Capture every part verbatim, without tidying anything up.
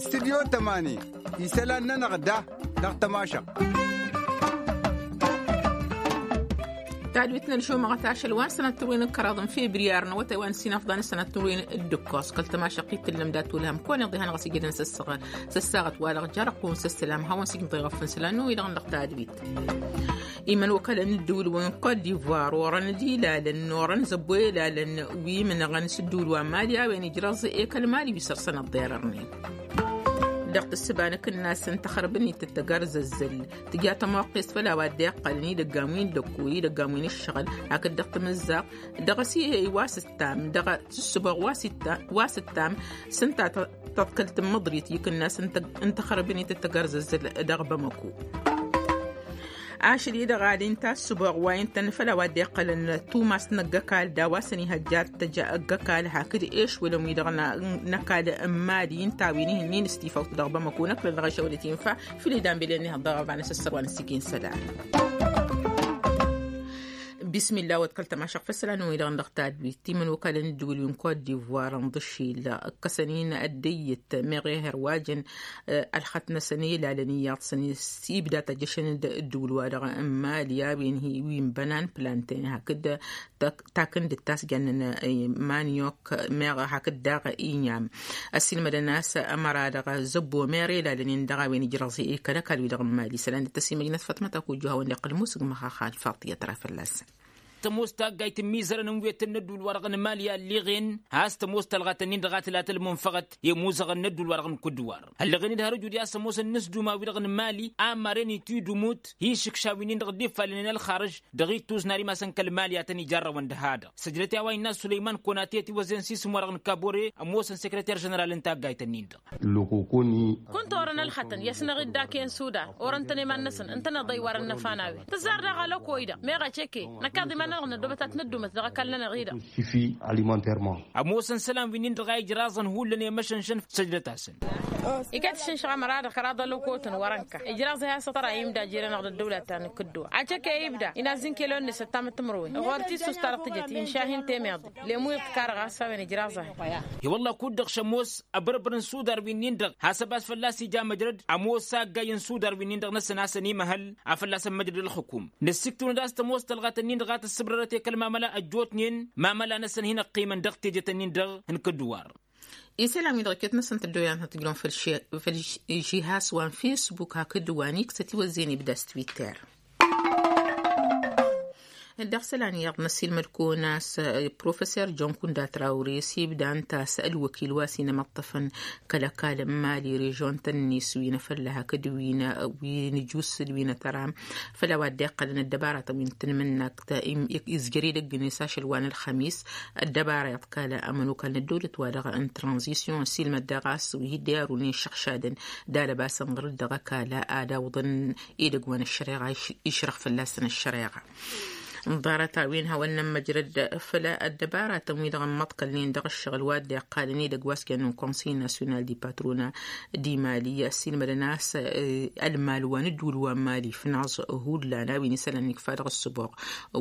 Studyo tămani isălan-nănăɣ da dăɣ-tămašăɣt. Tadwit n-ălšumăɣăt ašăl wa n-sănăt turwen n-kăraḍ n-febriyar n-awătay wa n-sinăfḍa n-sănăt turwen d-ǝkkos kăl-tămašăɣt i-tǝllăm dat-wălhăm kăwăn-iḍihăn ɣas ijădăn s-ăssaɣăt wa dăɣ-jarăqun s-ăssălam hawăn-sigǝḍeɣăf n-sălan n-wi-dăɣ n-dăɣ tadwit. Imăn wăkălăn n-ǝddǝwǝl-wen n-kot divoir orăn d-ilalăn n-orăn zăbbo ilalăn wi imǝnăɣăn s-ǝddǝwǝl wa n-mali a-wen ijrăẓ ekăl mali wi săr-săn ăḍḍerărnen. Dăɣ-tǝssǝba n-akǝnnas n-taxărbǝnit d-tăgărzăzzăl tǝja tămoqqest făll-a-wa dd-iqqălăn idăggan wi n-dăkku idăggan wi n-ǝššăɣǝl hakd dăɣ-tamǝzzaɣt dăɣ-s ihey wa s-ǝttam dăɣ-tǝssǝboɣ wa s-ǝttam s-ǝnta tăḍkălt n-măḍrit i-akǝnnas n-taxărbǝnit d-tăgărzăzzăl dăɣ-bamăku. Ašăl-i-dăɣ ad-inta ăssǝboɣ wa ǝntăn făll-a-wa dd-iqqălăn tumas n-ăgg-ăkall d-a-wa s-ănihăjja ad-tăj ăgg-ăkall hakd ešwălăn-wi-dăɣ n-ăkall n-imali ǝnta a-wen ihǝnnin s-tifawt dăɣ-bamăko năkk lălɣăšăwăl i-tinfa făl idambelăn ihăḍ dăɣ-ăbanăs ăssărwa n-ăssikin isălan. Bismillah wa d-kăl-tămašăɣ făll-isălan-wi-dăɣ n-dăɣ tadwit timǝnwăkălăn ǝddǝwǝl wi n-kot divoir n-ḍǝšil ǝkkăsăn-in ăddăyyăt meɣ ehăr wa jăn ălxăt-năsăn i-ilalăn iyyăḍ-săn s-ibda tăjjăšăn-dd ǝddǝwǝl-wa-dăɣ n-mali a-wen hi-wi n-bănan planten hakd takǝndǝt ta s-jannăn manyok meɣ hakd daɣ inyam ăssiilmădăn a-s ămăra dăɣ-zăbbo meɣ ilalăn-in dăɣ-a-wen ijrăẓ i-kăl-ăkall-wi-dăɣ n-mali isălan dd-tăsimăjnăt făṭmăt akujju a hawăn-dd-iqqǝl musǝgmăx axal faṭiyăt ra fălla-săn. Tămoos taggayt n-imizărăn n-wetăn n-ădduul-wa-dăɣ n-mali a ălliɣen has-tămoos tălɣatăn-in-dăɣ a tǝla tălmǝnfăɣăt i-imuzăɣăn n-ădduul-wa-dăɣ n-kudduwar ălliɣen-dd har ǝjud i-ad-sămoosăn inǝsduma-wi-dăɣ n-mali a ămmaren itidumut hi-išǝkša wi-nin-dăɣ dd-iffalnen ălxarǝž dăɣ-ittus n-ar imasăn kăl-mali a tăn-ijarrăwăn d-ha-dăɣ săjdăt i-a-wa innă sulăyman konate ătiwăzen s-isǝm-wa-dăɣ n-kabore ămoosăn sekreter ženeral n-taggayt-nin-dăɣ. Kunta orăn ălxătăn i-asnăɣ-dd ake n-sudar orăn-tăn i-iman-năsăn ǝntăneḍ a iwarăn n-afan a-wen tǝzzar daɣ alăkko-i-dăɣ meɣ aceke năkkaḍ iman-nănăɣ n-ăddoobăt ad-t-nădduumăt dăɣ-ăkall-nănăɣ-i-dăɣ. Ămoosăn isălan wi-nin-dăɣ a ijraẓăn hullan i-măšănšăn săjdăt-asăn. Iket išǝnšăɣ ămăra-dăɣ kăraḍ ălăkotăn wăr-ănka ijraẓ i-has-ăṭṭăra imda jer-anăɣ d-ăddăwla ta n-kǝdduwa aceke ibda inazz n-kelon-net ăttamăt timǝrwen ɣur-t issus-ta-dăɣ tǝjăt inšah-in temeḍe. Lemuyăt kar ɣas a-wen ijraẓ-ahi. I-wălla kud-dăɣ šămoos abărbăr n-sudar wi-nin-dăɣ has-ăbas fălla-s ija măjrăd ămoos aggay n-sudar wi-nin-dăɣ năsăn a-s ănimăhăl a fălla-s ămmăjrăd ălxǝkum. Năssiktǝwnăd a-s tămoos tălɣat-nin-dăɣ a tăssǝbrărăt i-kăl-mamăla ăjjootnen mamăla-năsăn hin-ăqqimăn dăɣ-tejăt-nin-dăɣ n-kădduwar. Isălan-wi-dăɣ iket-năsăn tăddoyăn tăt-ǝjrăwăn făll-žihas wa n-fesbuk hakd wa n-iksăt iwăzzeyăn ibda s-twitter. Dăɣ-isălan iyyăḍ năssiilmăd-kăwăn a-s professor john kunda trawre s-ibda ǝnta a-s ălwăkil wa s-inămăṭṭăfăn kăl-ăkall n-mali režon-tăn-net wi n-afălla hakd wi n-ăjus d-wi n-atăram făll-a-wa dd-iqqălăn ăddăbaratăn wi n-tanmǝnnakt izjăr edăgg-net ašăl wa n-ălxămis. Ăddăbara iḍkal ămănokal n-ăddăwlăt-wa-dăɣ n-tranzisyon ăssiilmăd daɣ a-s wi hi-dd-iarun i-iššăɣšadăn d-alăbasăn ɣur-dd dăɣ-ăkall ad-awǝḍăn edăgg wa n-ăššăreɣa išrăɣ fălla-săn ăššăreɣa. Ḍarăt-a-wen hawăn-nămmăjrăd făll-ăddăbaratăn-wi-dăɣ ămmăḍkălnen dăɣ-ǝššăɣǝl wa dd-iqqalăn edăgg wa s-kăyăn n-konsey nasyonal di patrona d-imali ăssiilmădăn a-s ălmal wa n-ǝddǝwǝl wa n-mali fnaẓ hullan a-wen isălan ikfa dăɣ-ǝssǝboɣ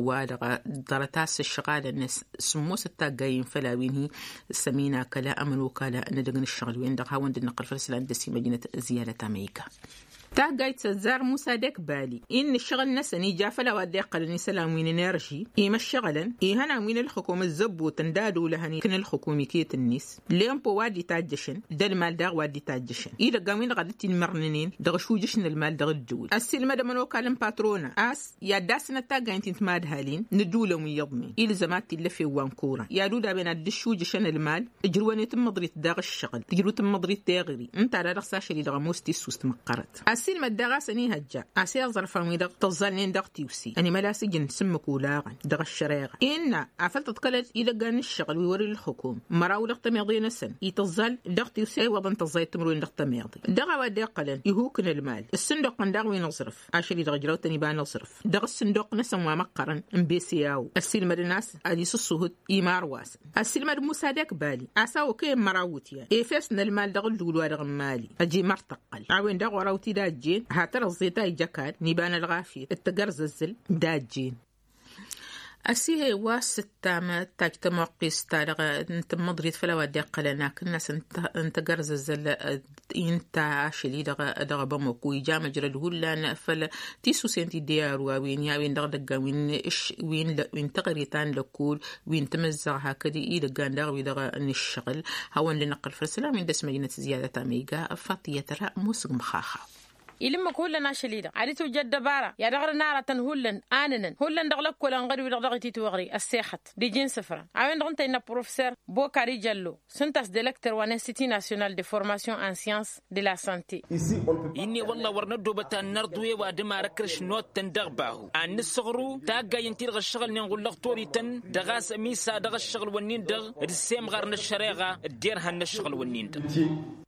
wa-dăɣ ḍarăt a-s ǝšɣalăn sǝmmosăt taggayen făll-a-wen hi-sămina kăla ămănokala n-edăgg n-ǝššăɣǝl-wen-dăɣ hawăn-dd-năqqăl făll-isălan d-ăsimăjnăt ziyadăt amăyka. Taggayt s-ăzzar musa dekbali innă ǝššăɣǝl-năsăn ija făll-a-wa dd-iqqălăn isălan wi n-enerži imăššăɣǝlăn ihănan wi n-ǝlxǝkum ǝzzăbbotăn d-ad-olăhăn ikǝn ǝlxǝkum iket-net lempo wa dd-itajjăšăn d-ălmal daɣ wa dd-itajjăšăn idăggan wi n-dăɣ ad-dd-tinmărnǝnen dăɣ-ašujǝš n-ălmal dăɣ-ǝddǝwǝl ăssiilmăd ămănokal n-patronăn a-s i-ad-dd-asǝnăt taggayen ti n-timadhalin n-ǝddǝwǝlăn wi iyyăḍnen ilzăm ad-t-illăf i-wa n-kuran i-ad-udaben ad-dd-ǝššujǝšăn ălmal ǝjrǝwăn i-tǝmmăḍrit daɣ ǝššăɣǝl tǝjrǝw tǝmmăḍrit teɣri ǝnta ad-dăɣ-s ašăl-i-dăɣ ămoos tissus timǝqqărăt ăssiilmăd daɣ a-s ănihăjja a-s i-aẓrăfan-wi-dăɣ tǝẓẓalnen dăɣ-tiwse ănimăla s-ǝjǝn s-ǝmmǝk olaɣăn dăɣ-ăššăreɣa innă afăl tǝḍkălăt idăggan n-ǝššăɣǝl wi wăr-ila ǝlxǝkum măraw dăɣ-tămeḍe-năsăn itǝẓẓal dăɣ-tiwse a iwwăḍăn tăẓẓay timǝrwen dăɣ-tămeḍe dăɣ-a-wa dd-iqqălăn ihukǝn ălmal ǝssǝndoqqăn daɣ wi n-aẓrǝf ašăl-i-dăɣ ǝjrăw-tăn iba n-aẓrǝf dăɣ-ǝssǝndoq-năsăn wa măqqărăn n-beseyaw ăssiilmădăn a-s ad-isǝṣṣuhǝt imarwasăn ăssiilmăd musa dekbali a-s a okăyăn măraw iwǝtyan efes n-ălmal dăɣ-ǝllul wa dăɣ-n-mali ăjimărtăqqăl a-wen daɣ wăr-awǝt-dd-ajjen ha tărăẓẓe ta ija ăkall n-iba n-ălɣafyăt d-tagărzăzzǝl d-ajjen. Ăsihe wa s-ǝttam tajj tămoqqist-ta-dăɣ n-tǝmmǝḍrit făll-a-wa dd-iqqălăn akǝnnas n-tagărzăzzăl, inta ašăl-i-dăɣ dăɣ-bamăku ija măjrăd hullan făll-tisusen ti dd-iyyăru a-wen i-a-wen dăɣ-idăggan wi n-tăɣritan lăkkul wi n-timǝzzaɣ hakd idăggan daɣ wi-dăɣ n-ǝššăɣǝl. Hawăn-dd-năqqǝl făll-isălan wi n-dăr-s măjnăt ziyyadăt a măyga. Faṭiyăt ra musǝg măxaxa. Ilǝmmǝk hullan ašăl-i-dăɣ ad-itwǝjjăd dăbara i-ad-dăɣ-năr aratăn hullan anǝnăn hullan dăɣ-lăkkolăn ɣăr-wi-dăɣ dăɣ-ititwăɣri ăssexăt d-iji n-isǝfra. A-wen-dăɣ ǝnta innă professor bokari jallo s-ǝnta a-s director wa n-institut national de formation en science de la sante. Inne wălla wăr năddoobăt ad-nărḍu i-ăwadǝm ar ǝkrǝš nottăn dăɣ-bahu ad-nǝssăɣru taggayăn-ti-dăɣ ǝššăɣǝlnen ɣur-lăɣtorităn dăɣ-a-s ămisa dăɣ-ǝššăɣǝl-wǝnnin-dăɣ d-semɣar n-ăššăreɣa d-derhan n-ǝššăɣǝl-wǝnnin-dăɣ.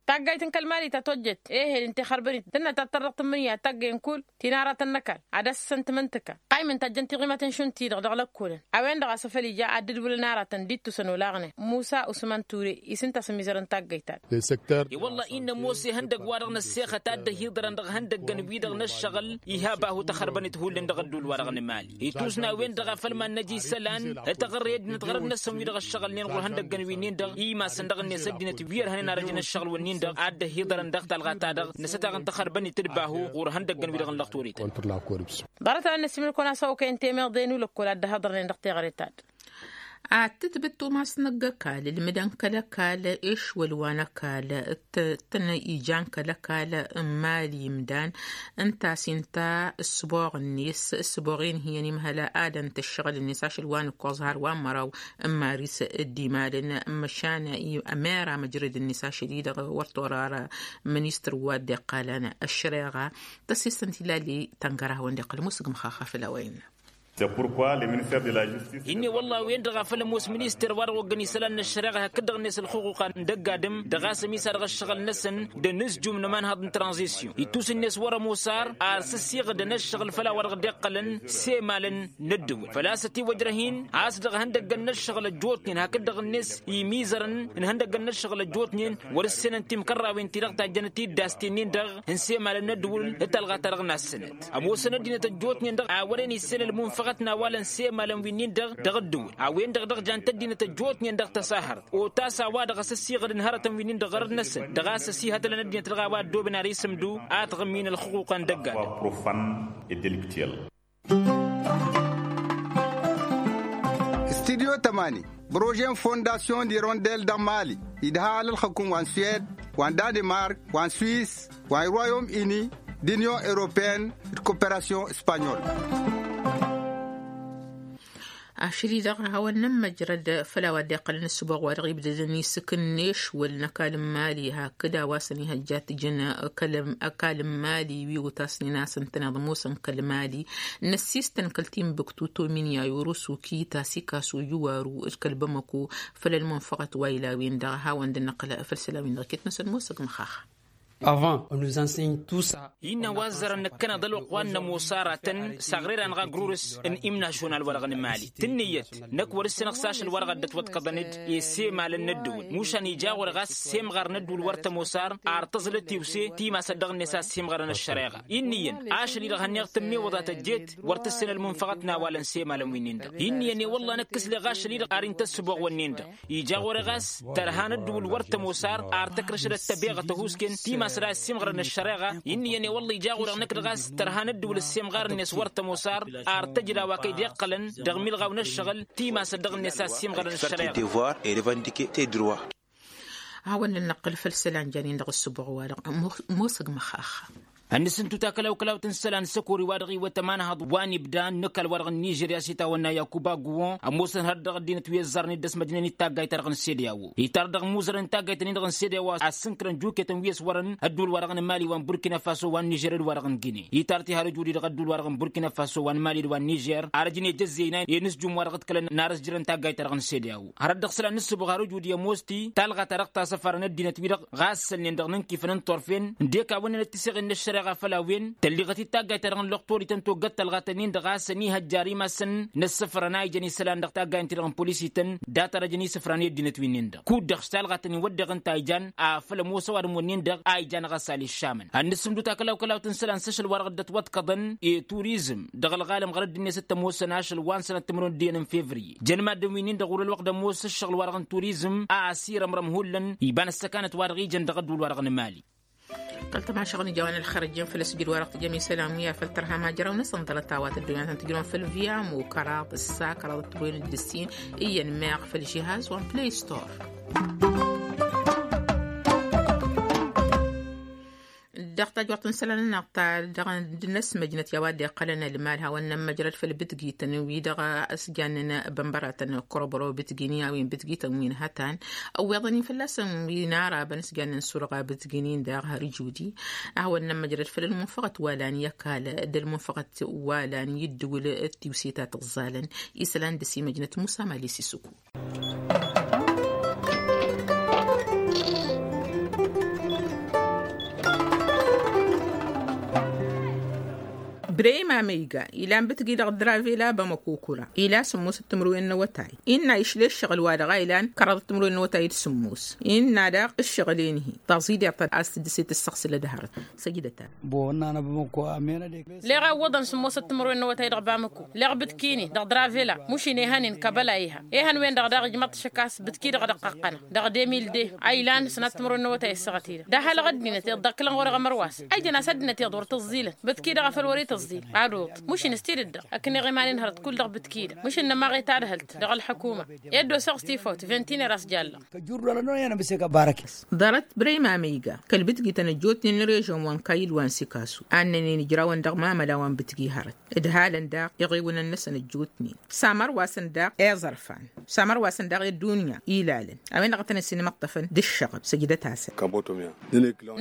Taggayt n-kăl-mali ta tojjet ehel ǝnta ixărbăn-it tǝnna ta tărdăɣ tǝmmǝnǝya taggay n-kull ti n-aratăn n-ăkall ad-ăssăn timǝntǝka qayǝm ǝnta a ǝjjăn tiɣimăten šund-ti-dăɣ dăɣ-lăkkolăn a-wen-dăɣ a-s făl ija ad-dd-wǝlăn aratăn d-ittusăn olaɣnen musa usman ture isǝnta a-s ămizărăn taggayt-ta-dăɣ. I-wălla-i n-ămoos ihăndăgg-wa-dăɣ n-ăssexăt a dd-ăhiḍărăn dăɣ-ihăndăggăn-wi-dăɣ n-ăššăɣǝl iha bahu tăxărbăn-it hullan dăɣ-ădduul-wa-dăɣ n-emali. Itusna a-wen-dăɣ a făl mad-năj isălan tăɣăre ăddinăt ɣărăt-năsăn wi-dăɣ ăššăɣǝlnen ɣur-ihăndăggăn wi-nin-dăɣ imasăn dăɣ-net ăddinăt wi ărhănen arăj n-ăššăɣǝl-wǝnnin-dăɣ ad-dd-ăhiḍărăn dăɣ-talɣa-ta-dăɣ năsătaɣ n-tăxărbăn-it d-bahu ɣur-ihăndăggăn wi-dăɣ n-lăxturit. Ḍarăt-a-wen n-ăssiimǝl-kăwăn-asăwăkăyăn temeḍe n-ulăkkol ad-dd-ăhhăḍărnen dăɣ-teɣăre-ta-dăɣ. Ad-tǝtbǝt tumas n-ăgg-ăkall ǝlmǝdăn kăl-ăkall ešwăl wa n-ăkall t-tăn-ijan kăl-ăkall n-imali imdan ǝnta a-s inta ǝssǝboɣ-net ǝssǝboɣ-en hi-ănimhăl ad-ănt ǝššăɣǝl-net ašăl wa n-ǝkkoẓ har wa n-măraw n-maris d-imalăn. Măšan ămera măjrăd-net ašăl-i-dăɣ wăr torară ministăr wa dd-iqqalăn ăššăreɣa tăsisăn tilali tăngărăhăwăn d-iqqăl musǝgmăx axafăl a-wa innă. Inne wălla a-wen-dăɣ a făl ămoos minister wa dăɣ-oggăn isălan n-ăššăreɣa hakd-dăɣ-net ălxuquqa n-dăgg-adǝm dăɣ-a-s ămisa dăɣ-ăššăɣǝl-năsăn d-anǝzjum n-ămanhăḍ n-tranzisyon ittus-net wăr-ămoos ar ar s-ăssiɣǝdăn ăššăɣǝl făll-a-wa dăɣ-dd-iqqălăn s-emalăn n-ăddǝwǝl făl-a-s ătiwăjrăh-in a-s dăɣ-ihăndăggăn n-ăššăɣǝl ăjjootnen hakd-dăɣ-net imizărăn n-ihăndăggăn n-ăššăɣǝl ăjjootnen wăr-ǝssenăn timkărrawen-ti-dăɣ tajjănăt-dd a-s ti-nin-dăɣ n-semalăn n-ăddǝwǝl d-talɣa-ta-dăɣ n-assănăt. Ămoosăn ăddinăt ăjjootnen-dăɣ a wăren issel ălmunfăɣăt n-awalăn s-emalăn wi-nin-dăɣ dăɣ-ăddǝwǝl a-wen-dăɣ dăɣ-jant ăddinăt ăjjootnen dăɣ-tăsahărt otas a-wa-dăɣ a-s ăssiɣădăn hărătăn wi-nin-dăɣ ɣărăt-năsăn dăɣ-a-s ăsihătălăn ăddinăt dăɣ-a-wa ăddooben ar isǝmdu a tɣǝmmin ălxuquqa n-dăgg-adǝm. Studyo tămani brože n-fondasyon d-irondel dăɣ-mali idha alălxăkum wa n-suwed wa n-danemark wa n-swis wa n-irwayom ini d-inyon europeyăn d-koperasyon espanyol. Ašăl-i-dăɣ hawăn-nămmăjrăd făll-a-wa dd-iqqălăn ǝssǝboɣ wa dăɣ-ibdădăn isǝkǝnneš wăl n-ăkall n-mali hakd a-wa s-ănihăjja tǝjăn ăkall n-mali wi otasnen a-s ǝntăneḍ ămoosăn kăl-mali n-ăssistăn kăl-timbuktu tominya i-urusu kita sikasu juwaru d-kăl-bamăko făll-ălmunfăɣăt wa ila-wen-dăɣ. Hawăn-dd-năqqǝl făll-isălan-win-dăɣ iket-năsăn ămoosăg măxaxa. Avant ănuzănsăy n-tusa. Innă wa ăzzărăn nǝkkăneḍ ălwăqq wa n-ămoos aratăn s-aɣrera n-ɣagrurǝs n-imnašon a-wa-dăɣ n-mali tǝnnǝyăt năkk wăr-ǝssǝnăɣ s-ašăl wa dăɣ-dd-ătwăḍkăḍăn-dd i-semalăn n-ăddǝwǝl mušan ija ɣur-e ɣas semɣar n-ăddǝwǝl wăr tămoos ar tăẓlăt iwse timasăt dăɣ-net a-s semɣarăn ăššăreɣa. Inn'-iyyăn ašăl-i-dăɣ hănneɣ tǝmmiwăḍa tăjjeet wăr tǝssin ălmunfăɣăt n-awalăn semalăn wi-nin-dăɣ inn'-iyyăn i-wălla năkk s-leɣ ašăl-i-dăɣ ar intăssǝboɣ wănnen-dăɣ. Ija ɣur-e ɣas tărha n-ăddǝwǝl wăr tămoos ar ar tăkrăšădăt tăbeɣăt ăhuusken timasăd a ăssiimɣărăn ăššăreɣa. Inn'-iyyăn i-wălla ija ɣur-e năkk dăɣ-a-s tărha n-ăddǝwǝl ăssiimɣarăn-net wăr tămoos ar ar tăjǝd a-wa kăy-dd-iqqălăn dăɣ-imilɣaw n-ǝššăɣǝl timasăd dăɣ-net a ăssiimɣărăn ăššăreɣa. Hawăn-nănăqqǝl făll-isălan janen dăɣ-ǝssǝboɣ-wa-dăɣ. Ămoosăg măxaxa. Ănnăsǝntu takălaw-kălawt n-isălan săkori wa dăɣ-iwăt ămanhăḍ wa n-ibda n-ăkall wa dăɣ-n nižerya s-itawănna yakuba guwon ămoosăn hărăt dăɣ-ăddinăt wi ăzzarăn-dd ăsmăjnen d-taggayt-ta-dăɣ n-sede a-wo itar dăɣ-imuzărăn n-taggayt-nin-dăɣ n-sede a-wo a ǝssǝnkărăn juketăn wi ăswărăn ădduul-wa-dăɣ n-mali wa n-burkina faso wa n-nižer d-wa-dăɣ n-gine itar tihar ǝjud-i dăɣ-ădduul-wa-dăɣ n-burkina faso wa n-mali d-wa n-nižer arăj n-ejăzzeyna i-inǝzjum wa dăɣ-ǝḍkălăn n-arǝs jărăn taggayt-ta-dăɣ n-sede a-wo hărăt dăɣ-isălan n-ǝssǝboɣ har ǝjud i-ămoos-t-i talɣa ta dăɣ-tasăfar n-ăddinăt wi-dăɣ ɣas sălnen dăɣ-inǝnkifăn n-turfen ǝndek a wănnănăt tiseɣen n-ăššăreɣa. dăɣ-afăl a-wen tălliɣăt-dd taggayt-ta-dăɣ n-lăqtor-ităn toggăt tălɣatăn-in-dăɣ a-s ănihăjjar imasăn n-ăssăfrăn a ijăn isălan dăɣ-taggayăn-ti-dăɣ n-polisităn, dat-arăjăn isǝfran i-ăddinăt wi-nin-dăɣ kud-dăɣ s-talɣatăn-in wădden ǝnta a ijan afăl ămoos ăwadǝm-wǝnnin-dăɣ a ijan ɣas a l-iššamăn ad-nǝssǝmdǝw takălawkălawt n-isălan s-ašăl-wa-dăɣ dd-ătwăḍkăḍăn i-turizm dăɣ-ălɣalăm ɣur-ăddinăt s-tămoosăn ašăl wa n-sănăt timǝrwen d-iyyăn n-fevriye. Jăn maddǝn wi-nin-dăɣ wăr-ălwăqq d-ămoos ǝššăɣǝl-wa-dăɣ n-turizm a ăsirămrăm hullan iba n-ăssăkanăt-wa-dăɣ ijăn dăɣ-ădduul-wa-dăɣ n-emali. Kăl-tămašăɣ n-ijawăn ălxărăjăn făll-asǝjǝd-wa-dăɣ tǝjăm isălan wi afăl tărha majăraw-năsăn ḍarăt a-wa tăddoyăn ad-tăn-tǝjrǝwăn făll-viamo kăraḍ ǝssa kăraḍ d-tǝmrăwen d-ǝssin iyyăn meɣ făll-žihaz wa n-play store. Dăɣ-tajwăḍt n-isălan-nănăɣ ta dăɣ-năsmăjnăt i-a-wa dd-iqqălăn ălmal hawăn-nămmăjrăd făll-bǝtgităn wi dăɣ-s jannen bănbăratăn kărob-ărăw bǝtgini a-wen bǝtgităn wi n-hătan ăwweḍăn-in fălla-săn wi n-arabăn s-jannen surɣa bǝtgini n-daɣ har judi. A hawăn-nămmăjrăd făll-ălmunfăɣăt wa lan i-ăkall d-ălmunfăɣăt wa lan i-dd-wǝl d-tiwse ta tǝẓẓalăn isălan dăr-s imăjnăt musa mali s-isǝkku. Brăyma măyga ilan bǝtgi dăɣ-dravela bamăkokura ila sǝmmos d-timǝrwen n-awătay innă išle ǝššăɣǝl-wa-dăɣ a ilan kăraḍăt timǝrwen n-awătay d-sǝmmos innă daɣ ǝššăɣǝl-en-hi taẓideɣt a-s tǝddǝset ǝssăɣsǝlăd hărăt. Săjdăt-an. Leɣ a ǝwwăḍăn sǝmmosăt timǝrwen n-awătay dăɣ-bamăko leɣ bǝtki-ni dăɣ-dravela mušin ehăn-in kăbăla iha ehăn-wen-dăɣ daɣ ijmăḍ-t šăk a-s bǝtki-dăɣ dăɣ-qăqqănăɣ dăɣ-demil de a ilan sănat timǝrwen n-awătay ăssaɣăt-i-dăɣ d-ahălăɣ ăddinăt iḍ dd-ăkkălăn ɣur-eɣ ămărwas a ijăn a-s ăddinăt iḍ wăr tǝẓẓilăn bǝtki-dăɣ a făl wăr-itǝẓẓil. Ad-oḍ mušin s-tidǝt-dăɣ ăkneɣ iman-in hărăt kull dăɣ-bǝtki-dăɣ mušin nămaɣ i-tadhǝlt dăɣ-ălḥăkuma. I-dd-osăɣ s-tifawt vintinăr a-s jallăɣ. Ḍarăt brăyma măyga kăl-bǝtgităn ăjjootnen n-režon wa n-kayil wa n-sikasu a ǝnnănen ijrawăn dăɣ-mamăla wa n-bǝtgi hărăt ǝdhalăn daɣ iɣiwǝnăn-năsăn ăjjootnen. Samărwasăn daɣ i-iẓărfan samărwasăn daɣ i-ăddunya ilalăn a-wen-dăɣ a tăn-ăsinmăṭṭăfăn d-ǝššăɣǝb săjdăt-asăn.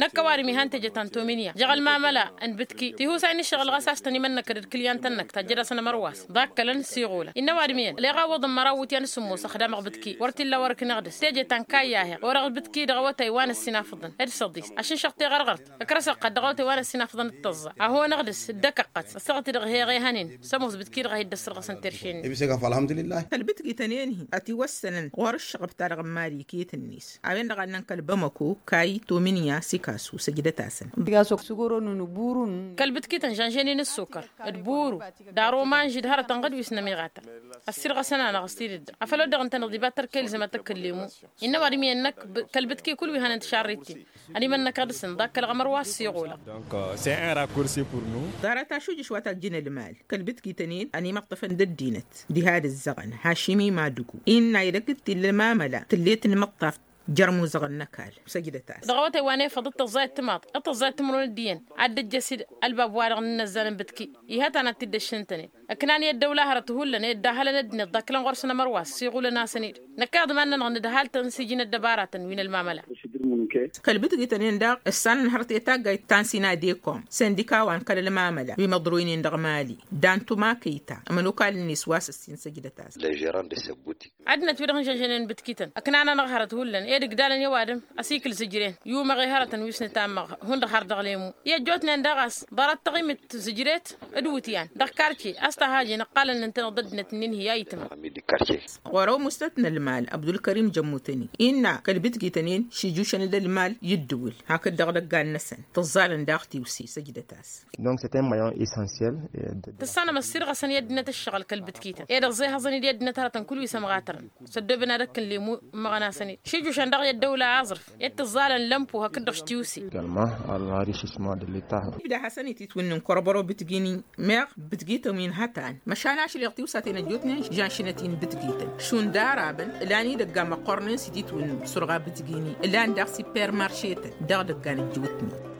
Năkk ăwadǝm ihăn teje ta n-tominya jăɣ-ălmamăla n-bǝtki tihusay n-ǝššăɣǝl ɣas a-s tăn-imănnăkăd d-kǝlyantăn-năk tajjăd-asăn ămărwas ḍakkălăn s-iɣulăn innă ăwadǝm iyyăn leɣ a ǝwwăḍăn măraw iwǝtyan s-sǝmmos ăxdamăɣ bǝtki wăr t-illa wăr-ǝkneɣ dăr-s teje ta n-kayyaheɣ orăɣ bǝtki dăɣ-awătay wa n-ăssinafăḍăn d-săḍis ašǝnšăɣ teɣărɣărt ǝkrăs ăqqăt dăɣ-awătay wa n-ăssinafăḍăn d-tăẓẓa a honăɣ dăr-s dd-ăkăqqăt ăssaɣăt-i-dăɣ heɣ ehăn-in. Sămoos bǝtki-dăɣ a hi-dd-ăssărɣăsăn terše-net. Kăl-bǝtgităn-en-hi ătiwăssănăn ɣur-ǝššăɣăb-ta-dăɣ n-mali iket-net a-wen-dăɣ a ǝnnăn kăl-bamăko kay tominya sikasu săjdăt-asăn. Kăl-bǝtkităn žănžănen ǝssukăr d-buru d-aromanž d-hărătăn ɣǝd wi s-nămiɣata ăssirɣăsăn-anăɣ s-tidǝt-dăɣ afăl ăddăɣ ǝntăneḍ iba tărka ilzăm ad-tăkkǝllemu. Innă ăwadǝm iyyăn năkk kăl-bǝtki kull wi hănen tišarrit-in ănimănnăkăɣ dăr-săn ḍakkălăɣ ămărwas s-iɣulăɣ. Ḍarăt ašujǝš wa tajjǝn ălmal kăl-bǝtki tănen ănimăṭṭăfăn d-ăddinăt diha d-ǝzzăɣăn hašim imadugu innă edăgg-t tilla ămamăla tǝllet n-imăṭṭaf. Jer-imuzăɣăn n-ăkall săjdăt-as. Dăɣ-awătay wa n-efăḍ d-tăẓẓayăt timaḍ d-tăẓẓayăt timǝrwen d-iyyăn ad-dd-ǝjjăs-dd ălbab-wa-dăɣ n-inăzzan n-bǝtki. Iha ta n-ad-t-dd-ăššǝntănen ǝknan i-ăddăwla hărăt hullan i-dd-ahălăn ăddinăt ḍakkălăn ɣur-săn ămărwas s-iɣulăn-asăn-dd. Năkk iḍman-nănăɣ nǝdhal-tăn s-iji n-ăddăbaratăn wi n-ălmamăla. Kăl-bǝtgităn-en daɣ ǝssanăn hărăt i-taggayt ta n-sina dekom sendika wa n-kăl-ălmamăla wi măḍroynen dăɣ-mali. Dan tumakăyta ămănokal-net wa s-ăssin săjdăt-as. Ăddinăt-wi-dăɣ n-žănžănen bǝtkităn ǝknan-anăɣ hărăt hullan ed ǝgdalăn i-ăwadǝm ăsikǝl zǝjren. Yumăɣ i-hărătăn wi s-nǝtammăɣ hundăɣ har dăɣ-lemu i-ăjjootnen daɣ a-s ḍarăt taɣimit tǝzǝjret d-iwǝtyan dăɣ-karce a-s tăhajin ǝqqalăn ǝntăneḍ d-ăddinăt-nin-hi a itmăɣ. Ɣur-ăwmustăt n-ălmal abdulkărim jămmutăni innă kăl-bǝtgităn-in šijušăn d-ălmal i-ǝddǝwǝl hakd dăɣ-idăggan-năsăn tǝẓẓalăn daɣ tiwse săjdăt-as. Tǝssanăm ăssirɣăsăn i-ăddinăt ǝššăɣǝl kăl-bǝtkităn ed ăẓẓehăẓăn-dd i-ăddinăt hărătăn kull wi s-ămɣatărăn s-ăddoobăn ad-ăkkǝn lemu. Ǝmmăɣăn-asăn-dd šijušăn daɣ i-ăddăwla aẓrǝf ed tǝẓẓalăn lămpo hakd-dăɣ s-tiwse. Ibda hasăn-ititwǝnnin kărbăro bǝtgini meɣ bǝtgităn wi n-hătan măšan ašleɣ tiwsaten ăjjootnen žanšinăt-in bǝtgităn šund arabăn ǝlan idăggan măqqornen s-ititwǝnnin surɣa bǝtgini ǝlan daɣ s-ipermaršetăn dăɣ-idăggan ăjjootnen.